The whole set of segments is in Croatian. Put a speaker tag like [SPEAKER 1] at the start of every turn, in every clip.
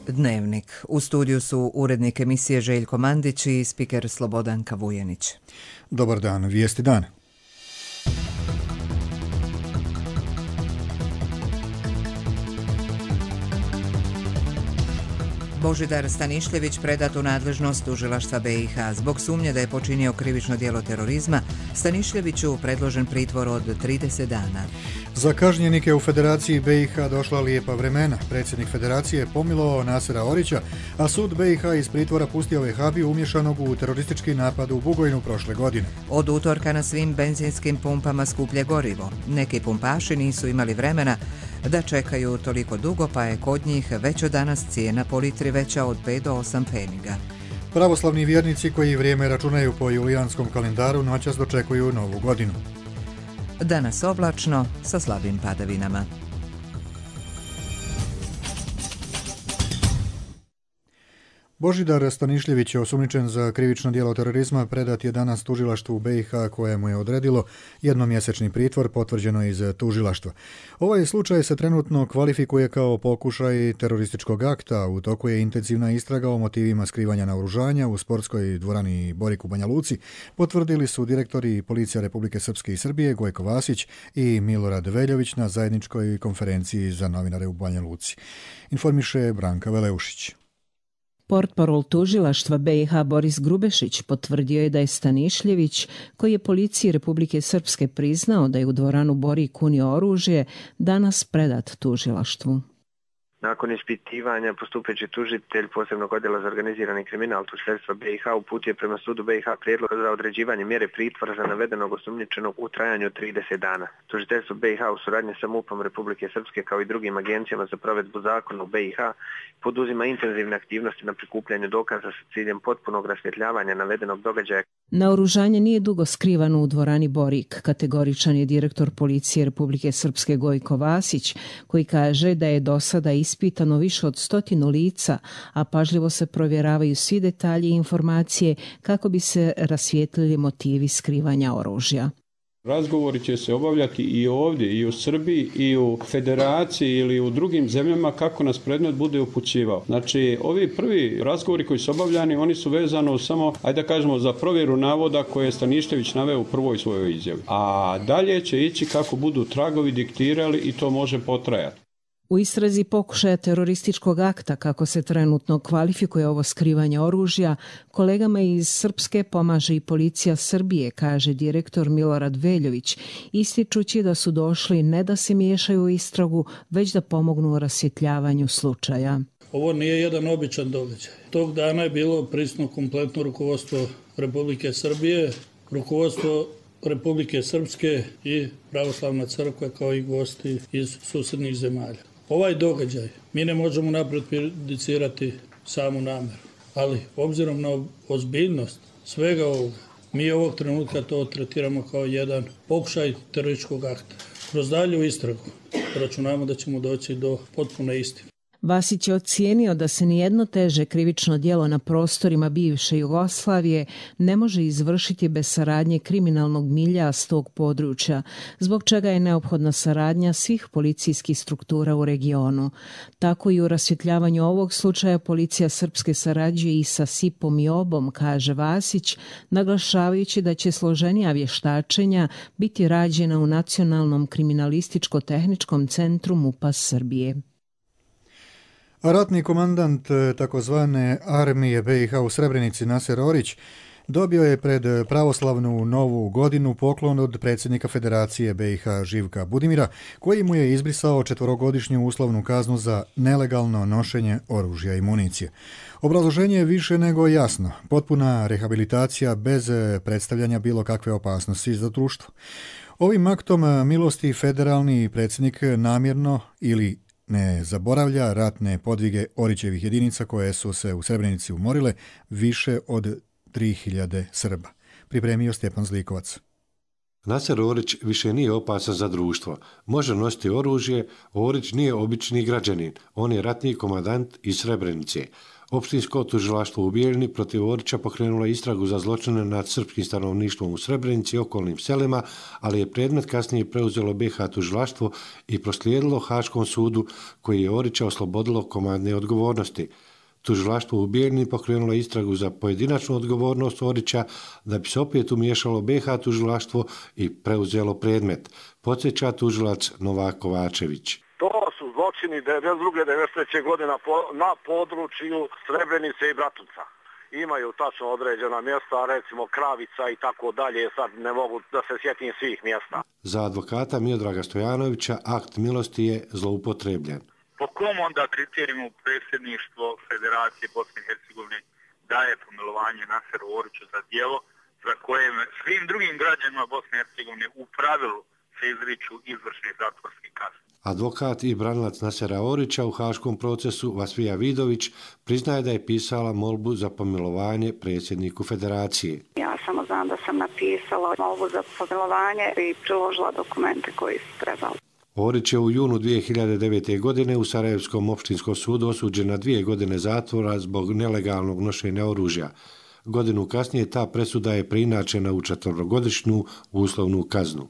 [SPEAKER 1] Dnevnik. U studiju su urednik emisije Željko Mandić i spiker Slobodanka Vujenić.
[SPEAKER 2] Dobar dan, vijesti dana.
[SPEAKER 1] Božidar Stanišljević predat u nadležnost tužilaštva BiH. Zbog sumnje da je počinio krivično djelo terorizma, Stanišljeviću predložen pritvor od 30 dana.
[SPEAKER 2] Za kažnjenike u Federaciji BiH došla lijepa vremena. Predsjednik Federacije je pomilovao Nasera Orića, a sud BiH iz pritvora pustio Vehabiju umješanog u teroristički napad u Bugojnu prošle godine.
[SPEAKER 1] Od utorka na svim benzinskim pumpama skuplje gorivo. Neki pumpaši nisu imali vremena da čekaju toliko dugo, pa je kod njih već od danas cijena po litri veća od 5 do 8 pfeniga.
[SPEAKER 2] Pravoslavni vjernici koji vrijeme računaju po julijanskom kalendaru noćas dočekuju novu godinu.
[SPEAKER 1] Danas oblačno sa slabim padavinama.
[SPEAKER 2] Božidar Stanišljević je osumnjičen za krivično djelo terorizma, predat je danas tužilaštvu BiH koje mu je odredilo jednomjesečni pritvor, potvrđeno iz tužilaštva. Ovaj slučaj se trenutno kvalifikuje kao pokušaj terorističkog akta. U toku je intenzivna istraga o motivima skrivanja naoružanja u sportskoj dvorani Borik u Banja Luci, potvrdili su direktori Policija Republike Srpske i Srbije Gojko Vasić i Milorad Veljović na zajedničkoj konferenciji za novinare u Banja Luci. Informiše Branka Veleušić.
[SPEAKER 3] Portparol tužilaštva BiH Boris Grubešić potvrdio je da je Stanišljević, koji je policiji Republike Srpske priznao da je u dvoranu Borik unio oružje, danas predat tužilaštvu.
[SPEAKER 4] Nakon ispitivanja postupajući tužitelj posebnog odjela za organizirani kriminal tužilaštva BiH uputio prema sudu BiH prijedlog za određivanje mjere pritvora za navedenog osumnjičenog u trajanju od 30 dana. Tužiteljstvo BiH u suradnji sa MUP-om Republike Srpske kao i drugim agencijama za provedbu zakona u BiH poduzima intenzivne aktivnosti na prikupljanju dokaza sa ciljem potpunog rasvjetljavanja navedenog događaja.
[SPEAKER 3] Naoružanje nije dugo skrivano u dvorani Borik, kategoričan je direktor Policije Republike Srpske Gojko Vasić, koji kaže da je do sada ispitano više od 100 lica, a pažljivo se provjeravaju svi detalji i informacije kako bi se rasvijetlili motivi skrivanja oružja.
[SPEAKER 5] Razgovori će se obavljati i ovdje, i u Srbiji, i u Federaciji ili u drugim zemljama kako nas predmet bude upućivao. Znači, ovi prvi razgovori koji su obavljani, oni su vezano samo, ajde da kažemo, za provjeru navoda koje je Stanišljević naveo u prvoj svojoj izjavi. A dalje će ići kako budu tragovi diktirali i to može potrajati.
[SPEAKER 3] U istrazi pokušaja terorističkog akta, kako se trenutno kvalifikuje ovo skrivanje oružja, kolegama iz Srpske pomaže i Policija Srbije, kaže direktor Milorad Veljović, ističući da su došli ne da se miješaju u istragu, već da pomognu u rasvjetljavanju slučaja.
[SPEAKER 6] Ovo nije jedan običan događaj. Tog dana je bilo prisutno kompletno rukovodstvo Republike Srbije, rukovodstvo Republike Srpske i Pravoslavna crkva kao i gosti iz susjednih zemalja. Ovaj događaj mi ne možemo napred prejudicirati samu namjeru, ali obzirom na ozbiljnost svega ovoga, mi ovog trenutka to tretiramo kao jedan pokušaj terorističkog akta. Kroz dalju istragu računamo da ćemo doći do potpune istine.
[SPEAKER 3] Vasić je ocijenio da se nijedno teže krivično djelo na prostorima bivše Jugoslavije ne može izvršiti bez saradnje kriminalnog milja s tog područja, zbog čega je neophodna saradnja svih policijskih struktura u regionu. Tako i u rasvjetljavanju ovog slučaja Policija Srpske sarađuje i sa SIP-om i OB-om, kaže Vasić, naglašavajući da će složenija vještačenja biti rađena u Nacionalnom kriminalističko-tehničkom centru MUP-a Srbije.
[SPEAKER 2] Ratni komandant takozvane armije BiH u Srebrenici Naser Orić dobio je pred pravoslavnu novu godinu poklon od predsjednika Federacije BiH Živka Budimira, koji mu je izbrisao 4-godišnju uslovnu kaznu za nelegalno nošenje oružja i municije. Obrazloženje je više nego jasno. Potpuna rehabilitacija bez predstavljanja bilo kakve opasnosti za društvo. Ovim aktom milosti federalni predsjednik namjerno ili ne zaboravlja ratne podvige Orićevih jedinica koje su se u Srebrenici umorile više od 3000 Srba. Pripremio Stjepan Zlikovac.
[SPEAKER 7] Naser Orić više nije opasan za društvo. Može nositi oružje, Orić nije obični građanin, on je ratni komandant iz Srebrenice. Opštinsko tužilaštvo u Bijeljini protiv Orića pokrenulo istragu za zločine nad srpskim stanovništvom u Srebrenici i okolnim selima, ali je predmet kasnije preuzelo BiH tužilaštvo i proslijedilo Haškom sudu koji je Orića oslobodilo komandne odgovornosti. Tužilaštvo u Bijeljini pokrenulo istragu za pojedinačnu odgovornost Orića da bi se opet umiješalo BiH tužilaštvo i preuzelo predmet, podsjeća tužilac Novak Kovačević.
[SPEAKER 8] To su zločini 1992. godine na području Srebrenice i Bratunca. Imaju tačno određena mjesta, recimo Kravica i tako dalje, sad ne mogu da se sjetim svih mjesta.
[SPEAKER 7] Za advokata Miodraga Stojanovića akt milosti je zloupotrebljen.
[SPEAKER 9] Po kom onda kriterijumu predsjedništvo Federacije Bosne i Hercegovine daje pomilovanje Naseru Oriću za djelo za koje svim drugim građanima Bosne i Hercegovine u pravilu se izriču izvršne zatvorske kazne?
[SPEAKER 7] Advokat i branilac Nasera Orića u haškom procesu Vasvija Vidović priznaje da je pisala molbu za pomilovanje predsjedniku Federacije.
[SPEAKER 10] Ja samo znam da sam napisala molbu za pomilovanje i priložila dokumente koji su trebali.
[SPEAKER 7] Orić je u junu 2009. godine u Sarajevskom opštinskom sudu osuđen na 2 godine zatvora zbog nelegalnog nošenja oružja. Godinu kasnije ta presuda je preinačena u 4-godišnju uslovnu kaznu.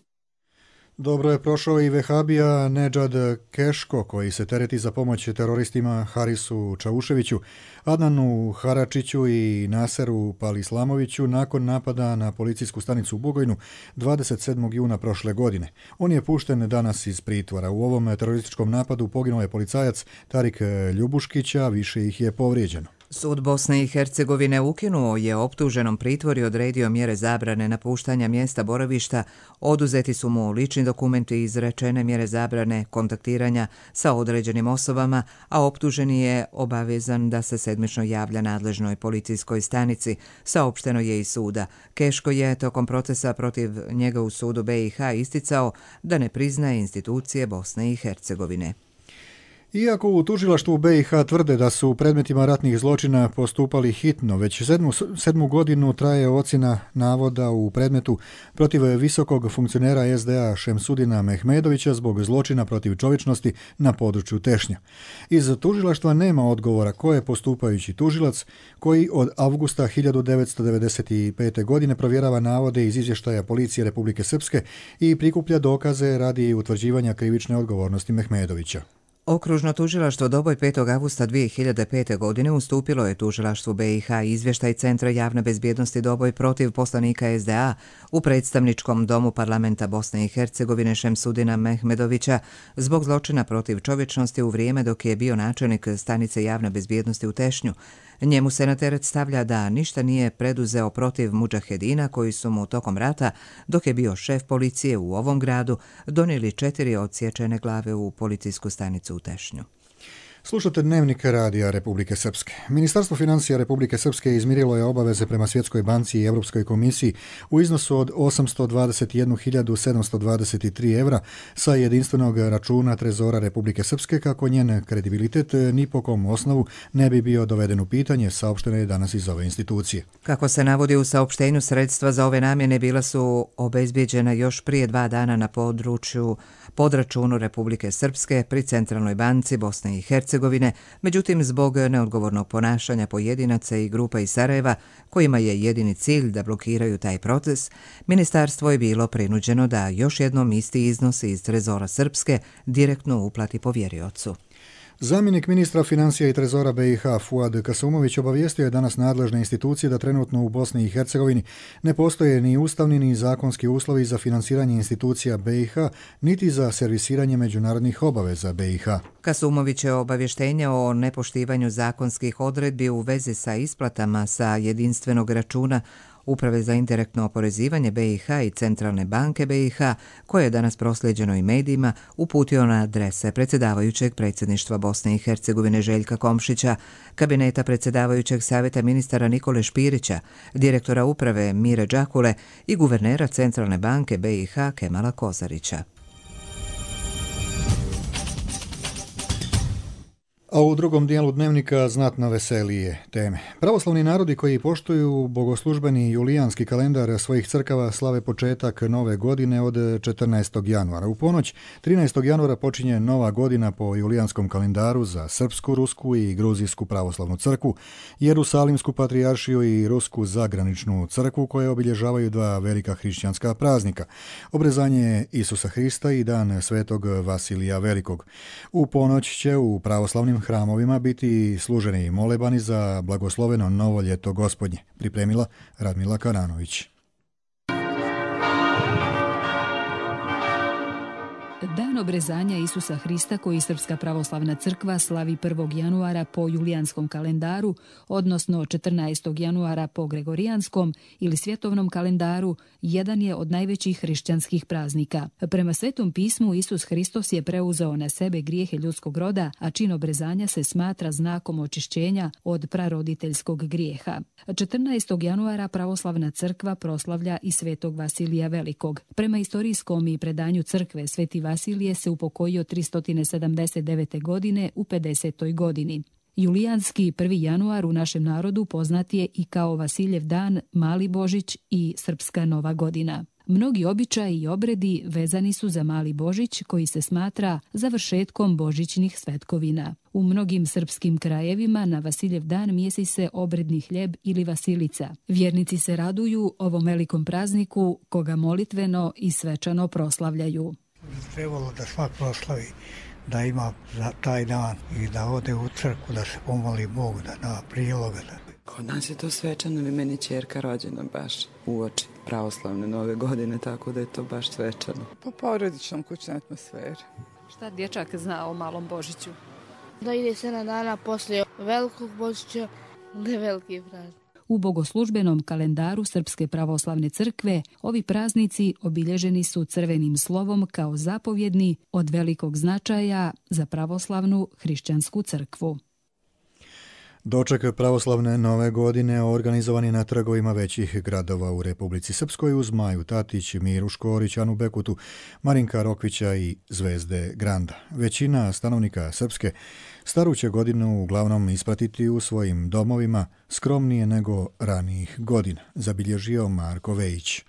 [SPEAKER 2] Dobro je prošao i vehabija Nedžad Keško, koji se tereti za pomoć teroristima Harisu Čauševiću, Adnanu Haračiću i Naseru Palislamoviću nakon napada na policijsku stanicu u Bugojnu 27. juna prošle godine. On je pušten danas iz pritvora. U ovom terorističkom napadu poginuo je policajac Tarik Ljubuškić, a više ih je povrijeđeno.
[SPEAKER 1] Sud Bosne i Hercegovine ukinuo je optuženom pritvor i odredio mjere zabrane napuštanja mjesta boravišta, oduzeti su mu lični dokumenti i izrečene mjere zabrane kontaktiranja sa određenim osobama, a optuženi je obavezan da se sedmično javlja nadležnoj policijskoj stanici, saopšteno je iz suda. Keško je tokom procesa protiv njega u sudu BiH isticao da ne priznaje institucije Bosne i Hercegovine.
[SPEAKER 2] Iako u tužilaštvu BiH tvrde da su u predmetima ratnih zločina postupali hitno, već sedmu godinu traje ocjena navoda u predmetu protiv visokog funkcionera SDA Šemsudina Mehmedovića zbog zločina protiv čovječnosti na području Tešnja. Iz tužilaštva nema odgovora ko je postupajući tužilac koji od avgusta 1995. godine provjerava navode iz izvještaja policije Republike Srpske i prikuplja dokaze radi utvrđivanja krivične odgovornosti Mehmedovića.
[SPEAKER 1] Okružno tužilaštvo Doboj 5. avgusta 2005. godine ustupilo je tužilaštvu BiH izvještaj Centra javne bezbjednosti Doboj protiv poslanika SDA u predstavničkom domu parlamenta Bosne i Hercegovine Šemsudina Mehmedovića zbog zločina protiv čovječnosti u vrijeme dok je bio načelnik stanice javne bezbjednosti u Tešnju. Njemu se na teret stavlja da ništa nije preduzeo protiv mudžahedina koji su mu tokom rata, dok je bio šef policije u ovom gradu, donijeli 4 odsječene glave u policijsku stanicu u Tešnju.
[SPEAKER 2] Slušate Dnevnik radija Republike Srpske. Ministarstvo financija Republike Srpske izmirilo je obaveze prema Svjetskoj banci i Europskoj komisiji u iznosu od 821.723 evra sa jedinstvenog računa Trezora Republike Srpske kako njen kredibilitet ni po kom osnovu ne bi bio doveden u pitanje, saopšteno je danas iz ove institucije.
[SPEAKER 1] Kako se navodi u saopštenju, sredstva za ove namjene bila su obezbijeđena još prije 2 dana na podračunu Republike Srpske pri Centralnoj banci Bosne i Hercegovine. Međutim, zbog neodgovornog ponašanja pojedinaca i grupa iz Sarajeva, kojima je jedini cilj da blokiraju taj proces, ministarstvo je bilo prinuđeno da još jednom isti iznos iz Trezora Srpske direktno uplati povjeriocu.
[SPEAKER 2] Zamjenik ministra financija i trezora BiH Fuad Kasumović obavijestio je danas nadležne institucije da trenutno u Bosni i Hercegovini ne postoje ni ustavni ni zakonski uslovi za finansiranje institucija BiH, niti za servisiranje međunarodnih obaveza BiH.
[SPEAKER 1] Kasumović je obavještenje o nepoštivanju zakonskih odredbi u vezi sa isplatama sa jedinstvenog računa Uprave za indirektno oporezivanje BiH i Centralne banke BiH, koje je danas proslijeđeno i medijima, uputio na adrese predsjedavajućeg predsjedništva Bosne i Hercegovine Željka Komšića, kabineta predsjedavajućeg savjeta ministara Nikole Špirića, direktora uprave Mire Đakule i guvernera Centralne banke BiH Kemala Kozarića.
[SPEAKER 2] A u drugom dijelu dnevnika znatno veselije teme. Pravoslavni narodi koji poštuju bogoslužbeni julijanski kalendar svojih crkava slave početak nove godine od 14. januara. U ponoć 13. januara počinje nova godina po julijanskom kalendaru za srpsku, rusku i gruzijsku pravoslavnu crkvu, Jerusalimsku patrijaršiju i rusku zagraničnu crkvu koje obilježavaju dva velika hrišćanska praznika, obrezanje Isusa Hrista i dan svetog Vasilija Velikog. U ponoć će u pravoslavnim hramovima biti služeni molebani za blagosloveno novo ljeto Gospodnje, pripremila Radmila Karanović.
[SPEAKER 11] Dan obrezanja Isusa Hrista koji Srpska pravoslavna crkva slavi 1. januara po julijanskom kalendaru, odnosno 14. januara po gregorijanskom ili svjetovnom kalendaru, jedan je od najvećih hrišćanskih praznika. Prema Svetom pismu Isus Hristos je preuzeo na sebe grijehe ljudskog roda, a čin obrezanja se smatra znakom očišćenja od praroditeljskog grijeha. 14. januara pravoslavna crkva proslavlja i svetog Vasilija Velikog. Prema istorijskom i predanju crkve Sveti Vasilije se upokojio 379. godine u 50. godini. Julijanski 1. januar u našem narodu poznat je i kao Vasiljev dan, Mali Božić i Srpska nova godina. Mnogi običaji i obredi vezani su za Mali Božić koji se smatra završetkom božićnih svetkovina. U mnogim srpskim krajevima na Vasiljev dan mijesi se obredni hljeb ili vasilica. Vjernici se raduju ovom velikom prazniku koga molitveno i svečano proslavljaju.
[SPEAKER 12] Trebalo da svak proslavi, da ima za taj dan i da ode u crkvu, da se pomoli Bogu, da da priloga.
[SPEAKER 13] Kod nas je to svečano, ili meni ćerka rođena baš uoči pravoslavne nove godine, tako da je to baš svečano. Po porodičnom kućnoj atmosferi.
[SPEAKER 11] Šta dječak zna o Malom Božiću?
[SPEAKER 14] Da ide 7 dana poslije velikog Božića, da je veliki praznik.
[SPEAKER 11] U bogoslužbenom kalendaru Srpske pravoslavne crkve ovi praznici obilježeni su crvenim slovom kao zapovjedni od velikog značaja za pravoslavnu hrišćansku crkvu.
[SPEAKER 2] Doček pravoslavne nove godine organizovan je na trgovima većih gradova u Republici Srpskoj uz Maju Tatić, Miru Škorić, Anu Bekutu, Marinka Rokvića i Zvezde Granda. Većina stanovnika Srpske staru će godinu uglavnom ispratiti u svojim domovima skromnije nego ranijih godina, zabilježio Marko Vejić.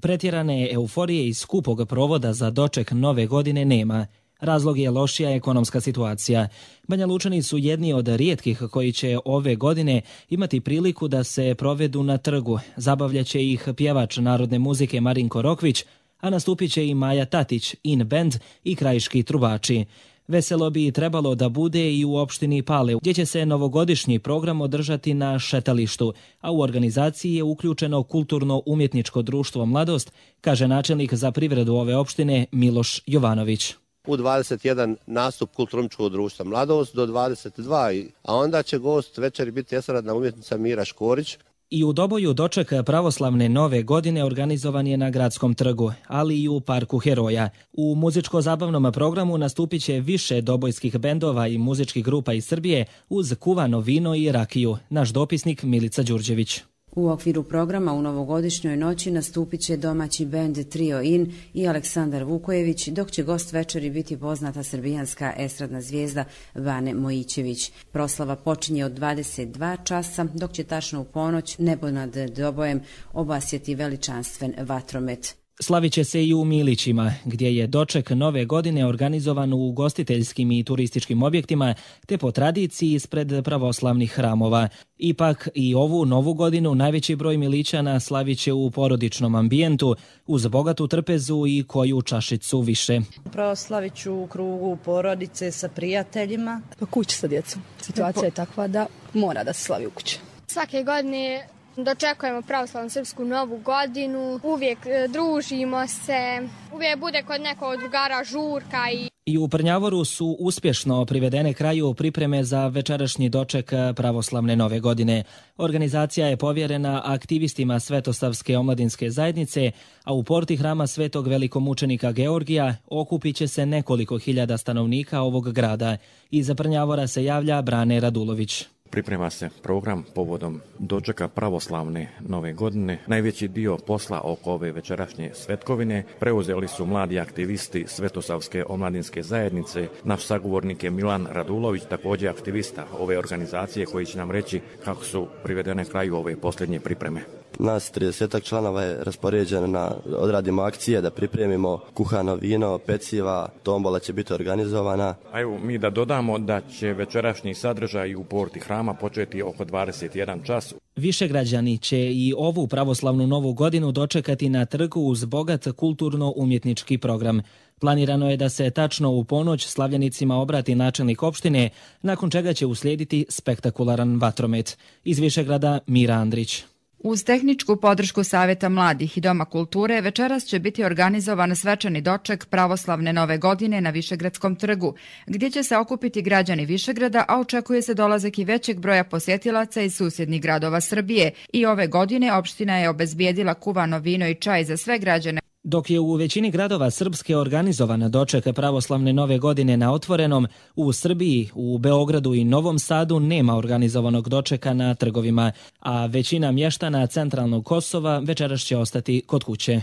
[SPEAKER 15] Pretjerane euforije i skupog provoda za doček nove godine nema. Razlog je lošija ekonomska situacija. Banja Lučani su jedni od rijetkih koji će ove godine imati priliku da se provedu na trgu. Zabavljaće ih pjevač narodne muzike Marinko Rokvić, a nastupit će i Maja Tatić, In Band i krajiški trubači. Veselo bi trebalo da bude i u opštini Pale, gdje će se novogodišnji program održati na šetalištu, a u organizaciji je uključeno kulturno-umjetničko društvo Mladost, kaže načelnik za privredu ove opštine Miloš Jovanović.
[SPEAKER 16] U 21 nastup kulturno-umjetničkog društva Mladost do 22, a onda će gost večeri biti estradna umjetnica Mira Škorić.
[SPEAKER 15] I u Doboju doček pravoslavne nove godine organizovan je na Gradskom trgu, ali i u Parku Heroja. U muzičko-zabavnom programu nastupit će više dobojskih bendova i muzičkih grupa iz Srbije uz kuvano vino i rakiju, naš dopisnik Milica Đurđević.
[SPEAKER 17] U okviru programa u novogodišnjoj noći nastupit će domaći bend Trio In i Aleksandar Vukojević, dok će gost večeri biti poznata srbijanska estradna zvijezda Vane Mojićević. Proslava počinje od 22 časa, dok će tačno u ponoć nebo nad Dobojem obasjeti veličanstven vatromet.
[SPEAKER 15] Slavit će se i u Milićima, gdje je doček nove godine organizovan u ugostiteljskim i turističkim objektima, te po tradiciji ispred pravoslavnih hramova. Ipak i ovu novu godinu najveći broj Milićana slavit će u porodičnom ambijentu, uz bogatu trpezu i koju čašicu više.
[SPEAKER 18] Proslavit ću u krugu porodice sa prijateljima.
[SPEAKER 19] Pa kući sa djecom. Situacija je takva da mora da se slavi u kući.
[SPEAKER 20] Svake godine dočekujemo pravoslavnu srpsku novu godinu, uvijek družimo se, uvijek bude kod nekog drugara žurka.
[SPEAKER 15] I u Prnjavoru su uspješno privedene kraju pripreme za večerašnji doček pravoslavne nove godine. Organizacija je povjerena aktivistima Svetosavske omladinske zajednice, a u porti hrama Svetog velikomučenika Georgija okupit će se nekoliko hiljada stanovnika ovog grada. Iz Prnjavora se javlja Brane Radulović.
[SPEAKER 21] Priprema se program povodom dočeka pravoslavne nove godine. Najveći dio posla oko ove večerašnje svetkovine preuzeli su mladi aktivisti Svetosavske omladinske zajednice. Naš sagovornik je Milan Radulović, također aktivista ove organizacije, koji će nam reći kako su privedene kraju ove posljednje pripreme.
[SPEAKER 22] Nas 30 članova je raspoređeno da odradimo akcije, da pripremimo kuhano vino, peciva, tombola će biti organizovana.
[SPEAKER 21] A evo mi da dodamo da će večerašnji sadržaj u porti hrama početi oko 21 čas.
[SPEAKER 15] Višegrađani će i ovu pravoslavnu novu godinu dočekati na trgu uz bogat kulturno-umjetnički program. Planirano je da se tačno u ponoć slavljenicima obrati načelnik opštine, nakon čega će uslijediti spektakularan vatromet. Iz Višegrada Mira Andrić.
[SPEAKER 23] Uz tehničku podršku Savjeta mladih i Doma kulture večeras će biti organizovan svečani doček pravoslavne nove godine na Višegradskom trgu, gdje će se okupiti građani Višegrada, a očekuje se dolazak i većeg broja posjetilaca iz susjednih gradova Srbije. I ove godine opština je obezbijedila kuvano vino i čaj za sve građane.
[SPEAKER 15] Dok je u većini gradova Srpske organizovan doček pravoslavne nove godine na otvorenom, u Srbiji, u Beogradu i Novom Sadu nema organizovanog dočeka na trgovima, a većina mještana centralnog Kosova večeras će ostati kod kuće.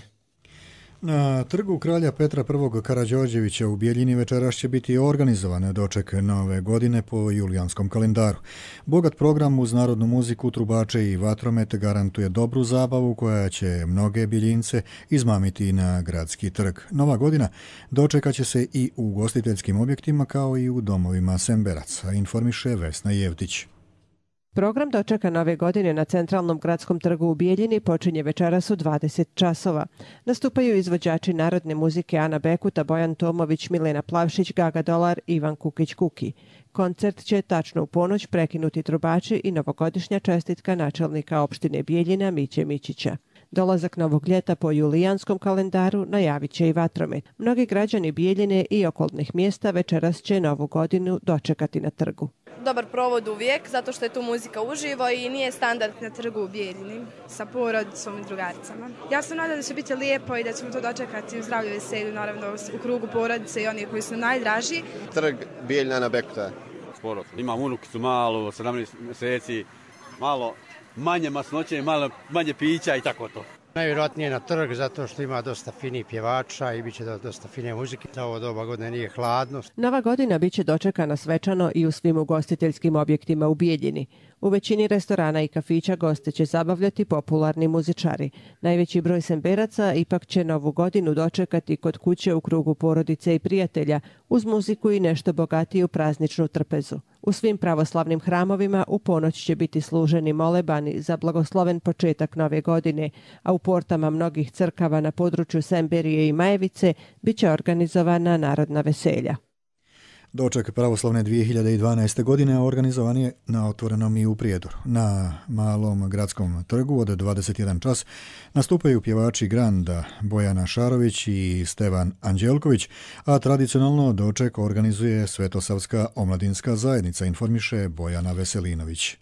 [SPEAKER 2] Na trgu kralja Petra I. Karađorđevića u Bijeljini večeras će biti organizovan doček nove godine po julijanskom kalendaru. Bogat program uz narodnu muziku, trubače i vatromet garantuje dobru zabavu koja će mnoge Bijeljince izmamiti na gradski trg. Nova godina dočekat će se i u ugostiteljskim objektima kao i u domovima Semberaca, informiše Vesna Jevtić.
[SPEAKER 24] Program dočeka nove godine na centralnom gradskom trgu u Bijeljini počinje večeras u 20 časova. Nastupaju izvođači narodne muzike Ana Bekuta, Bojan Tomović, Milena Plavšić, Gaga Dolar, Ivan Kukić-Kuki. Koncert će tačno u ponoć prekinuti trubači i novogodišnja čestitka načelnika opštine Bijeljina Miće Mićića. Dolazak novog ljeta po julijanskom kalendaru najavit će i vatromet. Mnogi građani Bijeljine i okolnih mjesta večeras će novu godinu dočekati na trgu.
[SPEAKER 25] Dobar provod uvijek, zato što je tu muzika uživo i nije standard na trgu u Bijeljini sa porodicom i drugaricama. Ja sam nadam da će biti lijepo i da ćemo to dočekati u zdravlju veselju, naravno u krugu porodice i oni koji su najdraži.
[SPEAKER 26] Trg Bijeljina na Bekuta.
[SPEAKER 27] Sporo. Imam unukicu malu, 17 mjeseci, malo manje masnoće, malo manje pića i tako to.
[SPEAKER 28] Najvjerojatnije na trg zato što ima dosta finih pjevača i bit će dosta fine muzike. Za ovo doba godine nije hladno.
[SPEAKER 24] Nova godina bit će dočekana svečano i u svim ugostiteljskim objektima u Bijeljini. U većini restorana i kafića goste će zabavljati popularni muzičari. Najveći broj Semberaca ipak će novu godinu dočekati kod kuće u krugu porodice i prijatelja, uz muziku i nešto bogatiju prazničnu trpezu. U svim pravoslavnim hramovima u ponoć će biti služeni molebani za blagosloven početak nove godine, a u portama mnogih crkava na području Semberije i Majevice bit će organizovana narodna veselja.
[SPEAKER 2] Doček pravoslavne 2012. godine organizovan je na otvorenom i u Prijedoru. Na malom gradskom trgu od 21 čas nastupaju pjevači Granda Bojana Šarović i Stevan Anđelković, a tradicionalno doček organizuje Svetosavska omladinska zajednica, informiše Bojana Veselinović.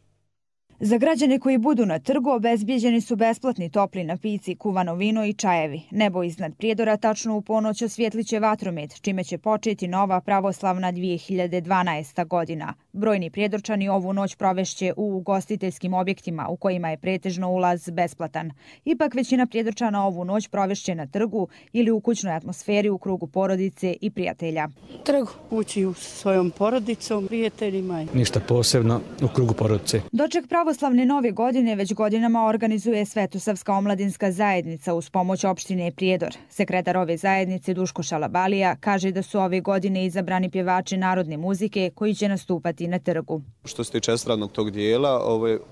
[SPEAKER 29] Za građane koji budu na trgu obezbijeđeni su besplatni topli napici, kuvano vino i čajevi. Nebo iznad Prijedora tačno u ponoć osvjetliće vatromet, čime će početi nova pravoslavna 2012. godina. Brojni Prijedorčani ovu noć provešće u ugostiteljskim objektima u kojima je pretežno ulaz besplatan. Ipak većina Prijedorčana ovu noć provešće na trgu ili u kućnoj atmosferi u krugu porodice i prijatelja.
[SPEAKER 30] Trgu ući s svojom porodicom, prijateljima.
[SPEAKER 31] Ništa posebno u krugu porodice.
[SPEAKER 29] Doček pravoslavne nove godine već godinama organizuje Svetosavska omladinska zajednica uz pomoć opštine Prijedor. Sekretar ove zajednice Duško Šalabalija kaže da su ove godine izabrani pjevači narodne muzike koji će nastupati na trgu.
[SPEAKER 32] Što se tiče estradnog tog dijela,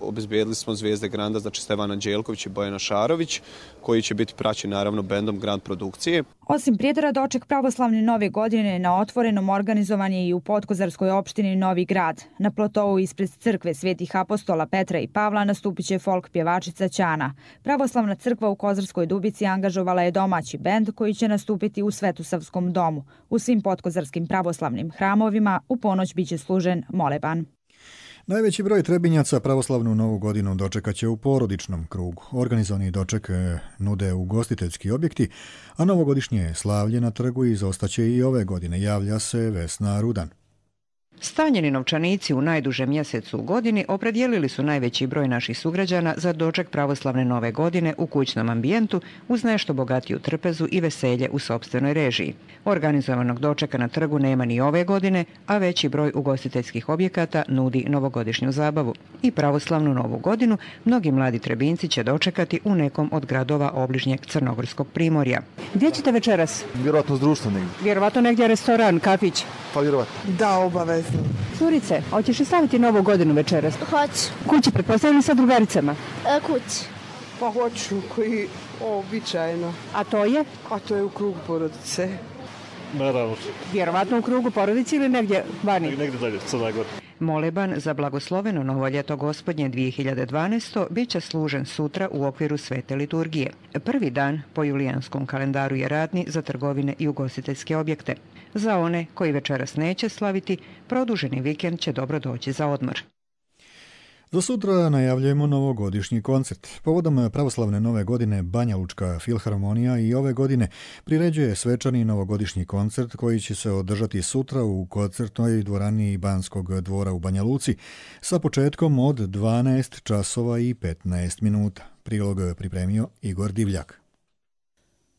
[SPEAKER 32] obezbijedili smo zvijezde Granda, znači Stevan Anđelković i Bojana Šarović, koji će biti praćeni naravno bendom Grand produkcije.
[SPEAKER 29] Osim Prijedora, doček pravoslavne nove godine na otvorenom organizovan je i u Podkozarskoj opštini Novi Grad. Na plotou ispred crkve Svetih apostola Petra i Pavla nastupit će folk pjevačica Ćana. Pravoslavna crkva u Kozarskoj Dubici angažovala je domaći bend koji će nastupiti u Svetosavskom domu. U svim podkozarskim pravoslavnim hramovima u ponoć biće služen moleban.
[SPEAKER 2] Najveći broj Trebinjaca pravoslavnu novu godinu dočekat će u porodičnom krugu. Organizovani doček nude ugostiteljski objekti, a novogodišnje slavlje na trgu izostaće i ove godine, javlja se Vesna Rudan.
[SPEAKER 1] Stanjeni novčanici u najdužem mjesecu u godini opredijelili su najveći broj naših sugrađana za doček pravoslavne nove godine u kućnom ambijentu uz nešto bogatiju trpezu i veselje u sopstvenoj režiji. Organizovanog dočeka na trgu nema ni ove godine, a veći broj ugostiteljskih objekata nudi novogodišnju zabavu. I pravoslavnu novu godinu mnogi mladi Trebinci će dočekati u nekom od gradova obližnjeg Crnogorskog primorja. Gdje ćete večeras?
[SPEAKER 3] Vjerovatno s društvom negdje.
[SPEAKER 1] Vjerovatno negdje restoran, kafić?
[SPEAKER 3] Pa vjerovatno.
[SPEAKER 1] Da, obavezno. Curice, hoćeš li slaviti novu godinu večeras?
[SPEAKER 4] Hoću.
[SPEAKER 1] Kući, pretpostavljam sa drugaricama?
[SPEAKER 4] Kući.
[SPEAKER 5] Pa hoću, koji običajno.
[SPEAKER 1] A to je?
[SPEAKER 5] A to je u krugu porodice.
[SPEAKER 3] Naravno.
[SPEAKER 1] Vjerovatno u krugu porodice ili negdje vani?
[SPEAKER 3] Negdje dalje, sada god.
[SPEAKER 1] Moleban za blagosloveno novo ljeto gospodnje 2012. bit će služen sutra u okviru svete liturgije. Prvi dan po julijanskom kalendaru je radni za trgovine i ugostiteljske objekte. Za one koji večeras neće slaviti, produženi vikend će dobro doći za odmor.
[SPEAKER 2] Za sutra najavljujemo novogodišnji koncert. Povodom pravoslavne nove godine Banja Lučka filharmonija i ove godine priređuje svečani novogodišnji koncert koji će se održati sutra u koncertnoj dvorani Banskog dvora u Banja Luci sa početkom od 12 časova i 15 minuta. Prilog pripremio Igor Divljak.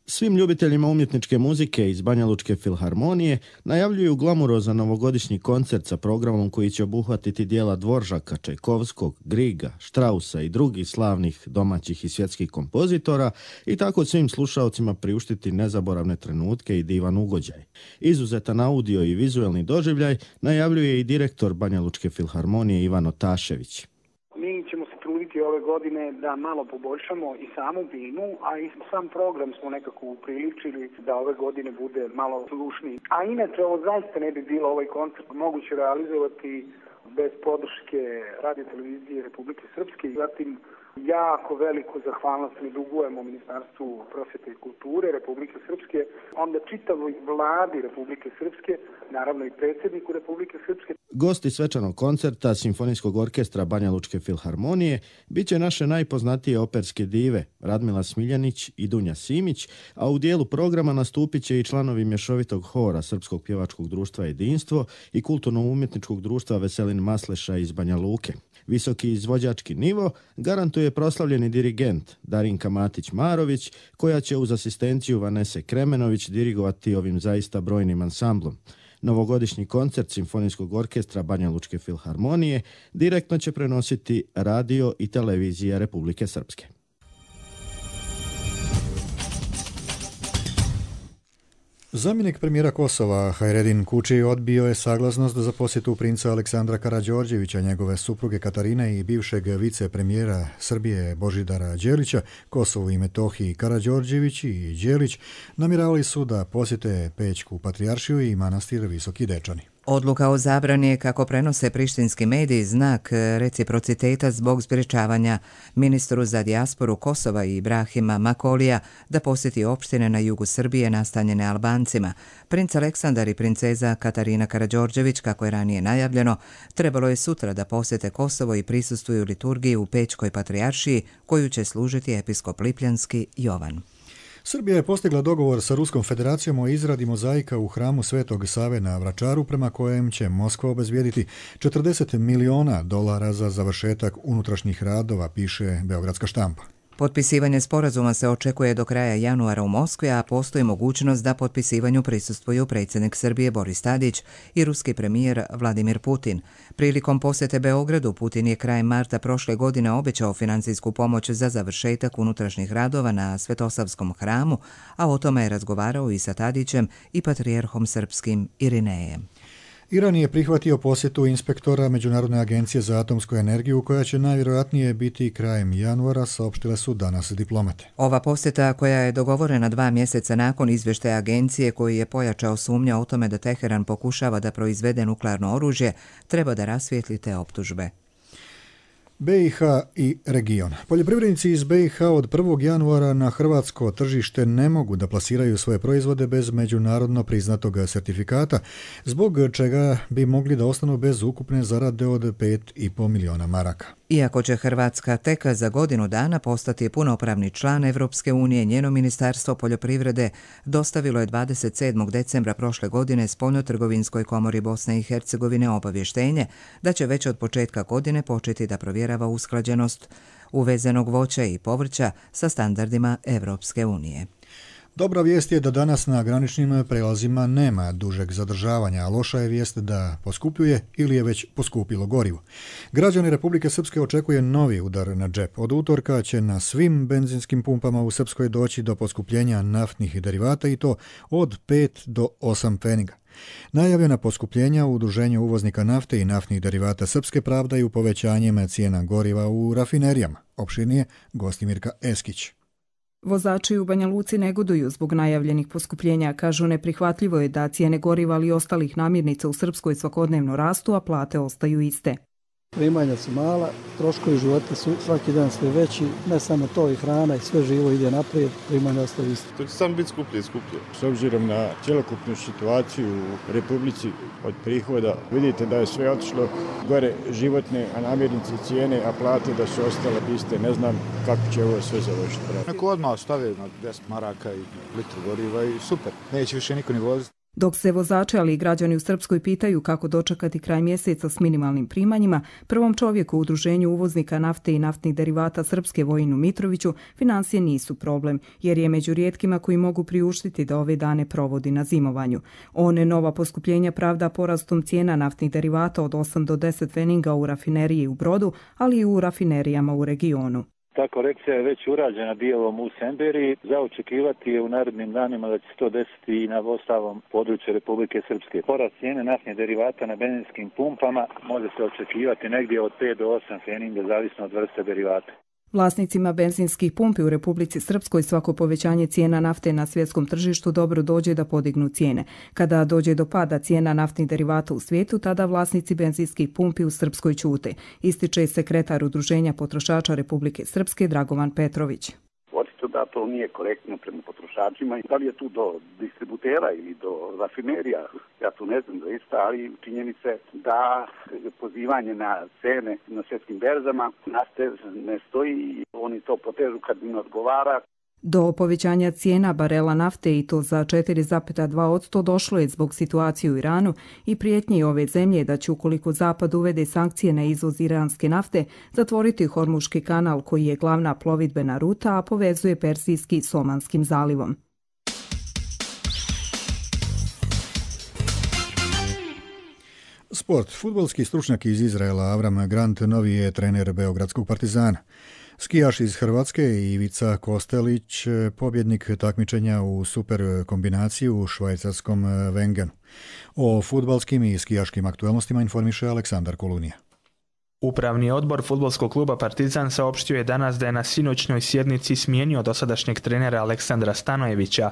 [SPEAKER 6] Svim ljubiteljima umjetničke muzike iz Banja Lučke filharmonije najavljuju glamurozan novogodišnji koncert sa programom koji će obuhvatiti dijela Dvoržaka, Čajkovskog, Griga, Štrausa i drugih slavnih domaćih i svjetskih kompozitora i tako svim slušaocima priuštiti nezaboravne trenutke i divan ugođaj. Izuzetan audio i vizuelni doživljaj najavljuje i direktor Banja Lučke filharmonije Ivan Otašević.
[SPEAKER 7] Mi ćemo se truditi ove godine da malo poboljšamo i samu bimu, a i sam program smo nekako upriličili da ove godine bude malo slušniji. A inače, ovo zaista ne bi bilo ovaj koncert moguće realizovati bez podrške Radio televizije Republike Srpske. Zatim, jako veliku zahvalnost mi dugujemo Ministarstvu prosvjete i kulture Republike Srpske, onda čitavoj vladi Republike Srpske, naravno i predsjedniku Republike Srpske.
[SPEAKER 6] Gosti svečanog koncerta Simfonijskog orkestra Banja Lučke filharmonije bit će naše najpoznatije operske dive Radmila Smiljanić i Dunja Simić, a u dijelu programa nastupit će i članovi mješovitog hora Srpskog pjevačkog društva Jedinstvo i kulturno-umjetničkog društva Veselin Masleša iz Banja Luke. Visoki izvođački nivo garantuje proslavljeni dirigent Darinka Matić-Marović, koja će uz asistenciju Vanese Kremenović dirigovati ovim zaista brojnim ansamblom. Novogodišnji koncert Simfonijskog orkestra Banja Lučke filharmonije direktno će prenositi radio i televizija Republike Srpske.
[SPEAKER 2] Zamjenik premijera Kosova Hajredin Kuči odbio je saglasnost za posjetu princa Aleksandra Karađorđevića, njegove supruge Katarine i bivšeg vicepremijera Srbije Božidara Đelića. Kosovu i Metohiji Karađorđević i Đelić namjeravali su da posjete Pećku patrijaršiju i manastir Visoki Dečani.
[SPEAKER 8] Odluka o zabrani je, kako prenose prištinski mediji, znak reciprociteta zbog sprječavanja ministru za dijasporu Kosova i Ibrahima Makolija da posjeti opštine na jugu Srbije nastanjene Albancima. Princ Aleksandar i princeza Katarina Karađorđević, kako je ranije najavljeno, trebalo je sutra da posjete Kosovo i prisustvuju liturgiji u Pećkoj patrijaršiji koju će služiti episkop Lipljanski Jovan.
[SPEAKER 2] Srbija je postigla dogovor sa Ruskom federacijom o izradi mozaika u hramu Svetog Save na Vračaru, prema kojem će Moskva obezbijediti $40 miliona za završetak unutrašnjih radova, piše Beogradska štampa.
[SPEAKER 8] Potpisivanje sporazuma se očekuje do kraja januara u Moskvi, a postoji mogućnost da potpisivanju prisustvuju predsjednik Srbije Boris Tadić i ruski premijer Vladimir Putin. Prilikom posjete Beogradu, Putin je krajem marta prošle godine obećao financijsku pomoć za završetak unutrašnjih radova na Svetosavskom hramu, a o tome je razgovarao i sa Tadićem i patrijarhom srpskim Irinejem.
[SPEAKER 2] Iran je prihvatio posjetu inspektora Međunarodne agencije za atomsku energiju, koja će najvjerojatnije biti krajem januara, saopštile su danas diplomate.
[SPEAKER 8] Ova posjeta, koja je dogovorena 2 mjeseca nakon izvještaja agencije koji je pojačao sumnja o tome da Teheran pokušava da proizvede nuklearno oružje, treba da rasvijetli te optužbe.
[SPEAKER 2] BiH i region. Poljoprivrednici iz BiH od 1. januara na hrvatsko tržište ne mogu da plasiraju svoje proizvode bez međunarodno priznatog sertifikata, zbog čega bi mogli da ostanu bez ukupne zarade od 5,5 miliona maraka.
[SPEAKER 8] Iako će Hrvatska tek za godinu dana postati punopravni član Evropske unije, njeno Ministarstvo poljoprivrede dostavilo je 27. decembra prošle godine Spoljnotrgovinskoj komori Bosne i Hercegovine obavještenje da će već od početka godine početi da provjerava usklađenost uvezenog voća i povrća sa standardima Evropske unije.
[SPEAKER 2] Dobra vijest je da danas na graničnim prelazima nema dužeg zadržavanja, a loša je vijest da poskupljuje ili je već poskupilo gorivo. Građani Republike Srpske očekuje novi udar na džep. Od utorka će na svim benzinskim pumpama u Srpskoj doći do poskupljenja naftnih derivata i to od 5 do 8 pfeniga. Najavljena poskupljenja u Udruženju uvoznika nafte i naftnih derivata Srpske pravdaju povećanjem cijena goriva u rafinerijama. Opširnije Gostimirka Eskić.
[SPEAKER 4] Vozači u Banja Luci negoduju zbog najavljenih poskupljenja. Kažu, neprihvatljivo je da cijene goriva ali i ostalih namirnica u Srpskoj svakodnevno rastu, a plate ostaju iste.
[SPEAKER 9] Primanja su mala, troškovi života su svaki dan sve veći, ne samo to, i hrana i sve živo ide naprijed, primanja ostaju iste.
[SPEAKER 10] To će samo biti skuplje. S obzirom na cjelokupnu situaciju u Republici od prihoda, vidite da je sve otišlo gore životne, a namirnice cijene, a plate da su ostale iste. Ne znam kako će ovo sve završiti.
[SPEAKER 11] Neko odmah stave na 10 maraka i litru goriva i super, neće više niko ni voziti.
[SPEAKER 4] Dok se vozači, ali i građani u Srpskoj pitaju kako dočekati kraj mjeseca s minimalnim primanjima, prvom čovjeku u Udruženju uvoznika nafte i naftnih derivata Srpske Vojinu Mitroviću financije nisu problem, jer je među rijetkima koji mogu priuštiti da ove dane provodi na zimovanju. On nova poskupljenja pravda porastom cijena naftnih derivata od 8 do 10 pfeniga u rafineriji u Brodu, ali i u rafinerijama u regionu.
[SPEAKER 12] Ta korekcija je već urađena dijelom u Semberiji. Za očekivati je u narednim danima da će se to desiti i na ostalom području Republike Srpske. Porast cijene naftnih derivata na benzinskim pumpama može se očekivati negdje od 5 do 8 pfeniga, zavisno od vrste derivata.
[SPEAKER 4] Vlasnicima benzinskih pumpi u Republici Srpskoj svako povećanje cijena nafte na svjetskom tržištu dobro dođe da podignu cijene. Kada dođe do pada cijena naftnih derivata u svijetu, tada vlasnici benzinskih pumpi u Srpskoj ćute, ističe sekretar Udruženja potrošača Republike Srpske Dragovan Petrović.
[SPEAKER 13] Očito da to nije korektno prema potrošačima. Da li je tu do distributera ili do rafinerija, ja tu ne znam zaista, ali činjenice da pozivanje na cene na svjetskim berzama nafte ne stoji i oni to potežu kad im odgovara.
[SPEAKER 4] Do povećanja cijena barela nafte i to za 4,2% došlo je zbog situacije u Iranu i prijetnje ove zemlje da će ukoliko Zapad uvede sankcije na izvoz iranske nafte zatvoriti Hormuški kanal koji je glavna plovidbena ruta, a povezuje Persijski s Omanskim zalivom.
[SPEAKER 2] Sport. Fudbalski stručnjak iz Izraela Avram Grant novi je trener Beogradskog Partizana. Skijaš iz Hrvatske Ivica Kostelić, pobjednik takmičenja u super kombinaciji u švajcarskom Wengenu. O fudbalskim i skijaškim aktualnostima informiše Aleksandar Kolunija.
[SPEAKER 14] Upravni odbor fudbalskog kluba Partizan saopštio je danas da je na sinoćnoj sjednici smijenio dosadašnjeg trenera Aleksandra Stanojevića.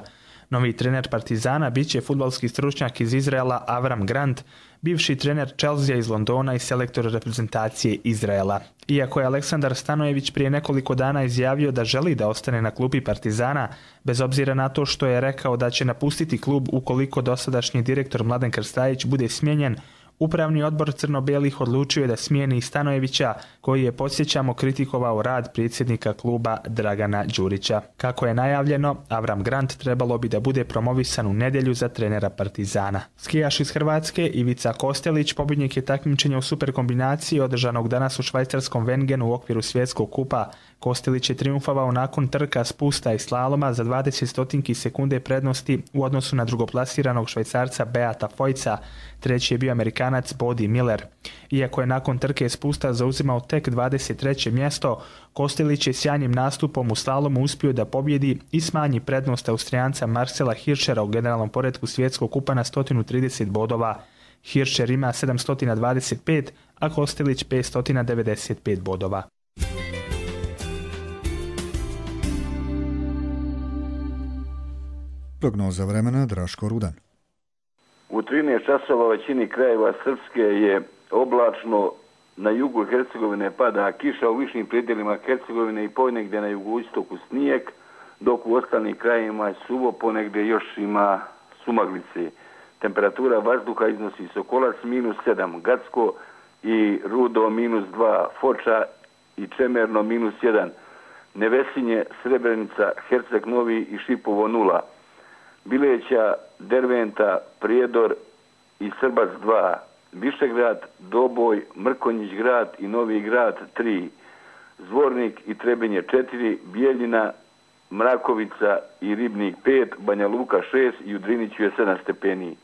[SPEAKER 14] Novi trener Partizana bit će fudbalski stručnjak iz Izraela Avram Grant, bivši trener Chelsea iz Londona i selektor reprezentacije Izraela. Iako je Aleksandar Stanojević prije nekoliko dana izjavio da želi da ostane na klupi Partizana, bez obzira na to što je rekao da će napustiti klub ukoliko dosadašnji direktor Mladen Krstajić bude smijenjen, Upravni odbor crno-belih odlučio je da smijeni Stanojevića, koji je, podsjećamo, kritikovao rad predsjednika kluba Dragana Đurića. Kako je najavljeno, Avram Grant trebalo bi da bude promovisan u nedjelju za trenera Partizana. Skijaš iz Hrvatske Ivica Kostelić pobjednik je takmičenja u superkombinaciji održanog danas u švajcarskom Wengenu u okviru svjetskog kupa. Kostelić je triumfovao nakon trka spusta i slaloma za 20 sekunde prednosti u odnosu na drugoplasiranog Švajcarca Beata Fojca. Treći je bio Amerikanac Bodi Miller. Iako je nakon trke spusta zauzimao tek 23. mjesto, Kostelić je sjajnim nastupom u slalomu uspio da pobjedi i smanji prednost Austrijanca Marcela Hirschera u generalnom poretku svjetskog kupa na 130 bodova. Hirscher ima 725, a Kostelić 595 bodova.
[SPEAKER 2] Prognoza vremena Draško Rudan.
[SPEAKER 16] U 13 časova većini krajeva Srpske je oblačno, na jugu Hercegovine pada kiša, u višim predjelima Hercegovine i ponegdje na jugoistoku snijeg, dok u ostalim krajevima je suvo, ponegdje još ima sumaglice. Temperatura vazduha iznosi Sokolac -7, Gacko i Rudo -2, Foča i Čemerno -1, Nevesinje, Srebrenica, Herceg Novi i Šipovo 0, Bileća, Derventa, Prijedor i Srbac 2, Višegrad, Doboj, Mrkonjić grad i Novi grad 3, Zvornik i Trebinje 4, Bijeljina, Mrakovica i Ribnik 5, Banja Luka 6 i u Driniću je 7 stepeni.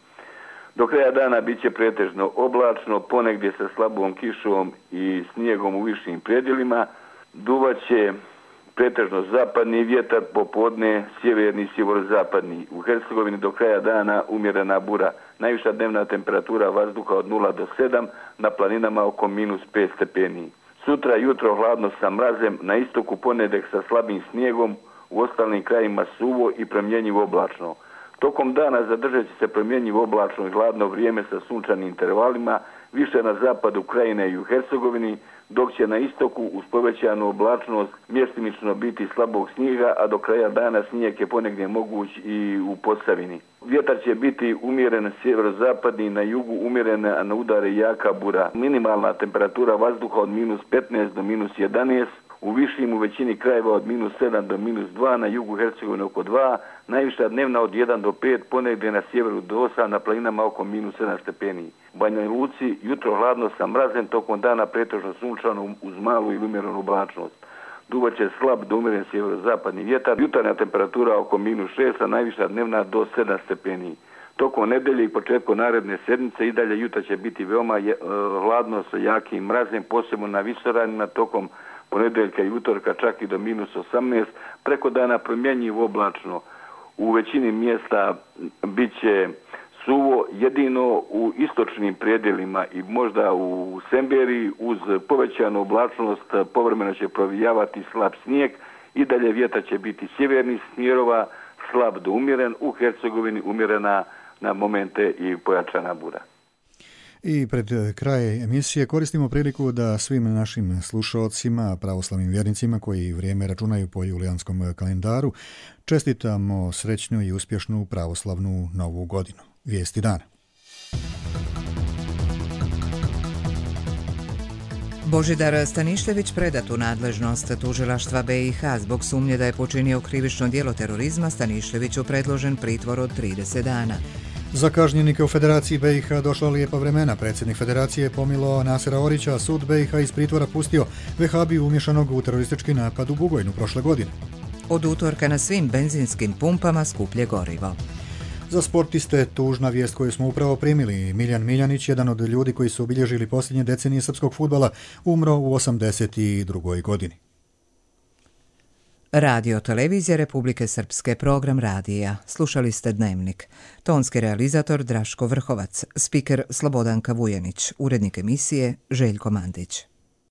[SPEAKER 16] Do kraja dana bit će pretežno oblačno, ponegdje sa slabom kišom i snijegom u višim predjelima. Duvaće pretežno zapadni vjetar, popodne sjeverni i sjeverozapadni. U Hercegovini do kraja dana umjerena bura. Najviša dnevna temperatura vazduha od 0 do 7, na planinama oko -5 stepeni. Sutra jutro hladno sa mrazem, na istoku ponedjeljak sa slabim snijegom, u ostalim krajima suvo i promjenjivo oblačno. Tokom dana zadržat će se promjenjivo oblačno i hladno vrijeme sa sunčanim intervalima, više na zapadu krajine i u Hercegovini, dok će na istoku uz povećanu oblačnost mjestimično biti slabog snijega, a do kraja dana snijeg je ponegdje moguć i u Posavini. Vjetar će biti umjeren sjeverozapadni, na jugu umjeren, a na udare jaka bura. Minimalna temperatura vazduha od -15 do -11, u višim u većini krajeva od -7 do -2, na jugu Hercegovine oko 2, najviša dnevna od 1 do 5, ponegdje na sjeveru do 8, na planinama oko -7 stepeni. U Banja Luci jutro hladno sa mrazem, tokom dana pretežno sunčano uz malu ili umjerenu oblačnost. Duvaće slab do umjeren sjeverozapadni vjetar, jutarnja temperatura oko -6, a najviša dnevna do 7 stepeni. Tokom nedelje i početkom naredne sedmice i dalje jutra će biti veoma hladno sa jakim mrazem, posebno na visoravnima, tokom ponedjeljka i utorka čak i do -18, preko dana promjenjivo oblačno. U većini mjesta bit će suvo, jedino u istočnim predjelima i možda u Semberiji uz povećanu oblačnost povremeno će provijavati slab snijeg, i dalje vjetar će biti sjevernih smjerova, slab do umjeren, u Hercegovini umjerena na momente i pojačana bura.
[SPEAKER 2] I pred kraj emisije koristimo priliku da svim našim slušalcima, pravoslavnim vjernicima koji vrijeme računaju po julijanskom kalendaru, čestitamo srećnu i uspješnu pravoslavnu novu godinu. Vijesti dana.
[SPEAKER 8] Božidar Stanišljević predat u nadležnost tužilaštva BiH zbog sumnje da je počinio krivično djelo terorizma. Stanišljeviću predložen pritvor od 30 dana.
[SPEAKER 2] Za kažnjenike u Federaciji BiH došla lijepa vremena. Predsjednik Federacije je pomilao Nasera Orića, a sud BiH iz pritvora pustio vehabiju umješanog u teroristički napad u Bugojnu prošle godine.
[SPEAKER 8] Od utorka na svim benzinskim pumpama skuplje gorivo.
[SPEAKER 2] Za sportiste tužna vijest koju smo upravo primili. Miljan Miljanić, jedan od ljudi koji su obilježili posljednje decenije srpskog fudbala, umro u 82. godini.
[SPEAKER 8] Radio televizija Republike Srpske, program radija. Slušali ste Dnevnik. Tonski realizator Draško Vrhovac, spiker Slobodanka Vujanić, urednik emisije Željko Mandić.